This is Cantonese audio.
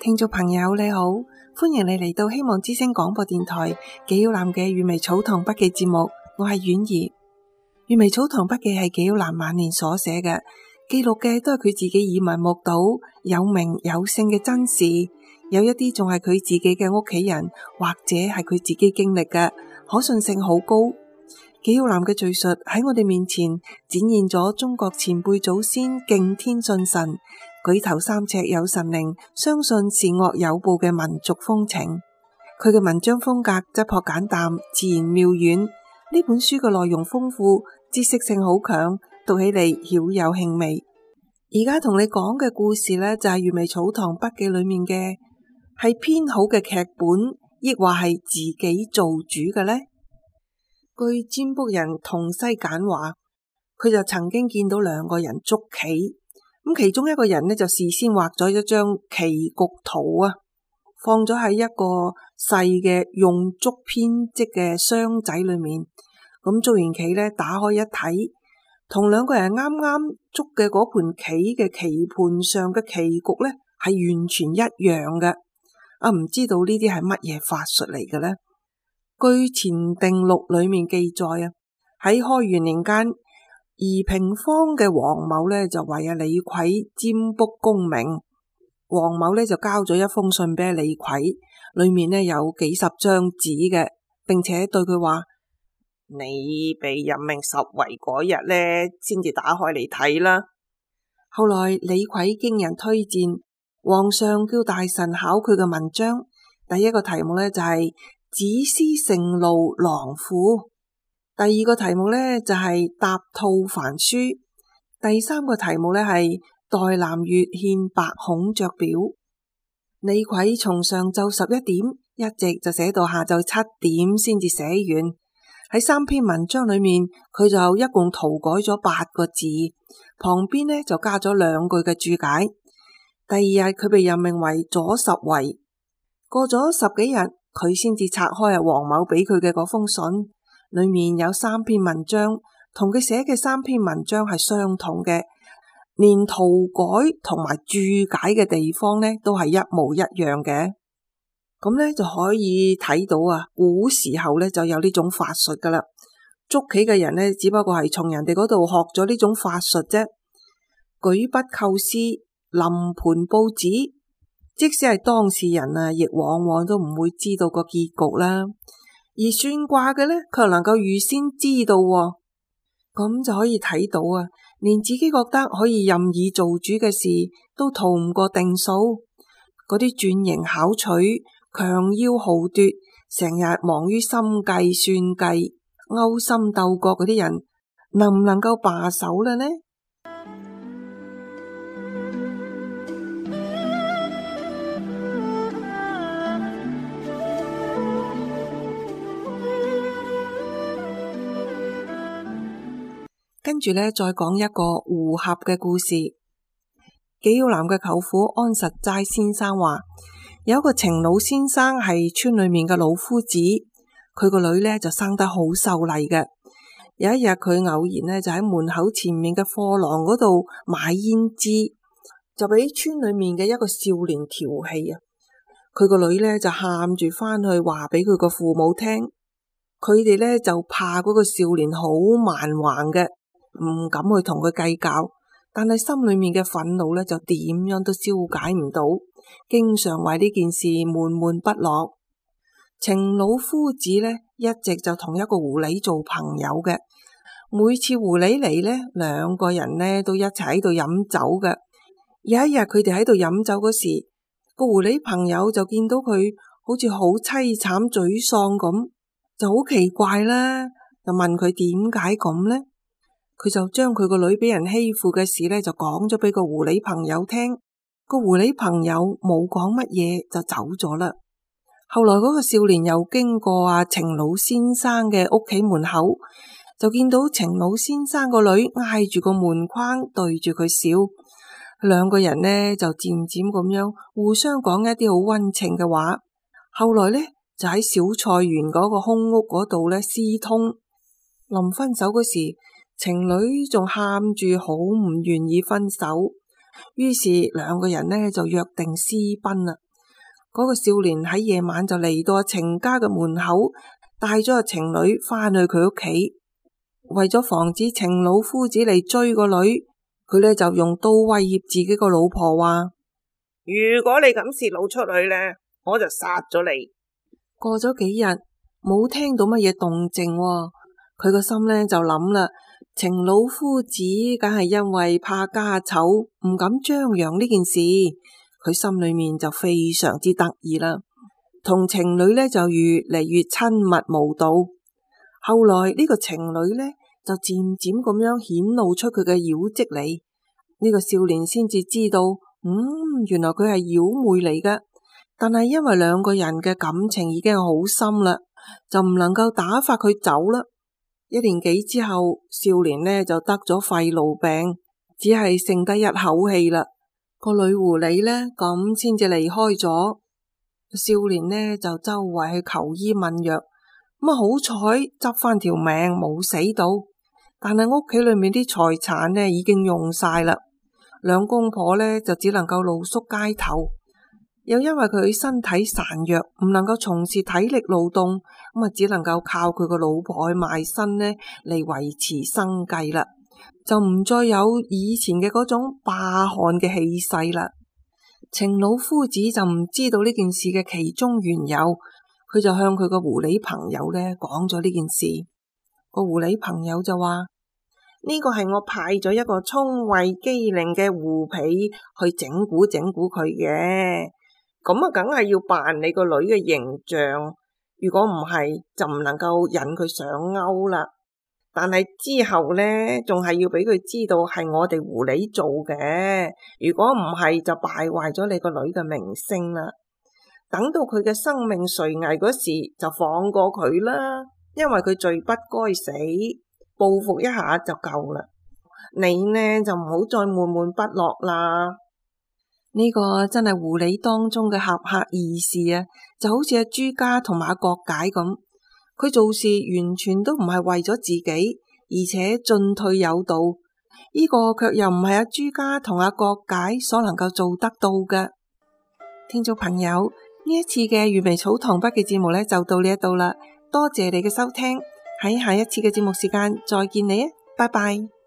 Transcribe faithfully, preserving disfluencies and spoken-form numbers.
聽眾朋友你好，歡迎你嚟到希望之聲廣播電台紀曉嵐嘅閱微草堂筆記節目，我係婉兒。閱微草堂筆記係紀曉嵐晚年所寫嘅，記錄嘅都係佢自己耳聞目睹有名有姓嘅真事，有一啲仲係佢自己嘅屋企人或者係佢自己經歷嘅，可信性好高。紀曉嵐嘅敘述喺我哋面前展現咗中國前輩祖先敬天信神、舉頭三尺有神靈，相信善惡有報嘅民族風情。佢嘅文章風格質樸簡淡，自然妙遠。呢本書嘅內容豐富，知識性好強，讀起嚟曉有興味。而家同你講嘅故事呢，就係閱微草堂筆記裏面嘅，係編好嘅劇本，抑或係自己做主嘅呢？據占卜人同西簡話，佢就曾經見到兩個人捉棋，咁其中一個人呢，就事先畫咗一張棋局圖啊，放咗喺一個細嘅用竹編織嘅箱仔裏面。咁捉完棋呢，打開一睇，同兩個人啱啱捉嘅嗰盤棋嘅棋盤上嘅棋局呢，係完全一樣嘅。啊，唔知道呢啲係乜嘢法術嚟嘅呢？據前定錄裏面記載啊，喺開元年間，宜平坊嘅黃某呢就為阿李逵占卜功名。黃某呢就交咗一封信俾李逵，裏面呢有幾十張紙嘅，並且對佢話：你被任命十圍嗰日呢，先至打開嚟睇啦。後來李逵經人推薦，皇上叫大臣考佢嘅文章，第一個題目呢就係、是子思盛怒狼婦，第二個題目呢就係答吐凡書，第三個題目呢係代南越獻白孔雀表。李逵從上晝十一點一直就寫到下晝七點先至寫完。喺三篇文章裏面，佢就一共塗改咗八個字，旁邊呢就加咗兩句嘅注解。第二日佢被任命為左拾遺，過咗十幾日，佢先至拆開啊黃某俾佢嘅嗰封信，裏面有三篇文章，同佢寫嘅三篇文章係相同嘅，連塗改同埋注解嘅地方呢都係一模一樣嘅。咁呢就可以睇到啊，古時候呢就有呢種法術噶啦。捉棋嘅人呢，只不過係從人哋嗰度學咗呢種法術啫。舉筆構思，臨盤布置，即使係當事人啊，亦往往都唔會知道個結局啦。而算卦嘅呢，佢能夠預先知道，咁就可以睇到啊，連自己覺得可以任意做主嘅事，都逃唔過定數。嗰啲鑽營巧取、強要豪奪，成日忙於心計算計、勾心鬥角嗰啲人，能唔能夠罷手啦呢？跟住呢，再講一個胡合嘅故事。紀曉嵐嘅舅父安實齋先生話，有一個程老先生係村裏面嘅老夫子，佢個女呢就生得好秀麗嘅。有一日佢偶然呢就喺門口前面嘅貨廊嗰度買胭脂，就俾村裏面嘅一個少年調戲啊！佢個女呢就喊住翻去話俾佢個父母聽，佢哋呢就怕嗰個少年好蠻橫嘅，唔敢去同佢計較，但係心裏面嘅憤怒呢就點樣都消解唔到，經常為呢件事悶悶不樂。程老夫子呢一直就同一個狐狸做朋友嘅，每次狐狸嚟呢，兩個人呢都一齊喺度飲酒嘅。有一日佢哋喺度飲酒嗰時，個狐狸朋友就見到佢好似好淒慘沮喪咁，就好奇怪啦，就問佢點解咁呢？佢就將佢個女俾人欺負嘅事呢，就講咗俾個狐狸朋友聽。個狐狸朋友冇講乜嘢就走咗啦。後來嗰個少年又經過阿程老先生嘅屋企門口，就見到程老先生個女挨住個門框對住佢笑。兩個人呢就漸漸咁樣互相講一啲好溫情嘅話。後來呢就喺小菜園嗰個空屋嗰度呢私通。臨分手嗰時，情侶仲喊住好唔願意分手，於是兩個人呢就約定私奔啦。嗰個少年喺夜晚就嚟到阿程家嘅門口，帶咗阿程女返去佢屋企。為咗防止程老夫子嚟追個女，佢呢就用刀威脅自己個老婆話：如果你咁泄露出去呢，我就殺咗你。過咗幾日冇聽到乜嘢動靜，佢個心呢就諗啦，程老夫子梗係因為怕家醜，唔敢張揚呢件事。佢心裏面就非常之得意啦，同程女呢就越嚟越親密無道。後來呢個程女呢就漸漸咁樣顯露出佢嘅妖跡嚟，呢個少年先至知道，嗯，原來佢係妖妹嚟㗎。但係因為兩個人嘅感情已經好深啦，就唔能夠打發佢走啦。一年幾之後，少年呢就得咗肺癆病，只係剩低一口氣啦。個女狐狸呢咁先至離開咗。少年呢就周圍去求醫問藥，咁啊好彩執翻條命冇死到，但係屋企裏面啲財產呢已經用晒啦。兩公婆呢就只能夠露宿街頭，又因為佢身體孱弱，唔能夠從事體力勞動，咁啊只能夠靠佢個老婆去賣身呢嚟維持生計啦。就唔再有以前嘅嗰種霸漢嘅氣勢啦。程老夫子就唔知道呢件事嘅其中緣由，佢就向佢個狐狸朋友呢講咗呢件事。個狐狸朋友就話：呢個係我派咗一個聰慧機靈嘅狐婢去整蠱整蠱佢嘅，咁啊梗係要扮你個女嘅形象，如果唔係就唔能夠引佢上鈎啦。但係之後呢，仲係要俾佢知道係我哋狐狸做嘅，如果唔係就敗壞咗你個女嘅名聲啦。等到佢嘅生命垂危嗰時，就放過佢啦，因為佢罪不該死，報復一下就夠啦。你呢就唔好再悶悶不樂啦。呢個真係狐狸當中嘅俠客二事啊，就好似阿朱家同埋阿郭解咁。佢做事完全都唔係為咗自己，而且進退有道，呢個卻又唔係阿朱家同阿郭解所能夠做得到嘅。聽眾朋友，呢一次嘅閱微草堂筆嘅節目呢，就到呢一度啦，多謝你嘅收聽，喺下一次嘅節目時間再見你啊，拜拜。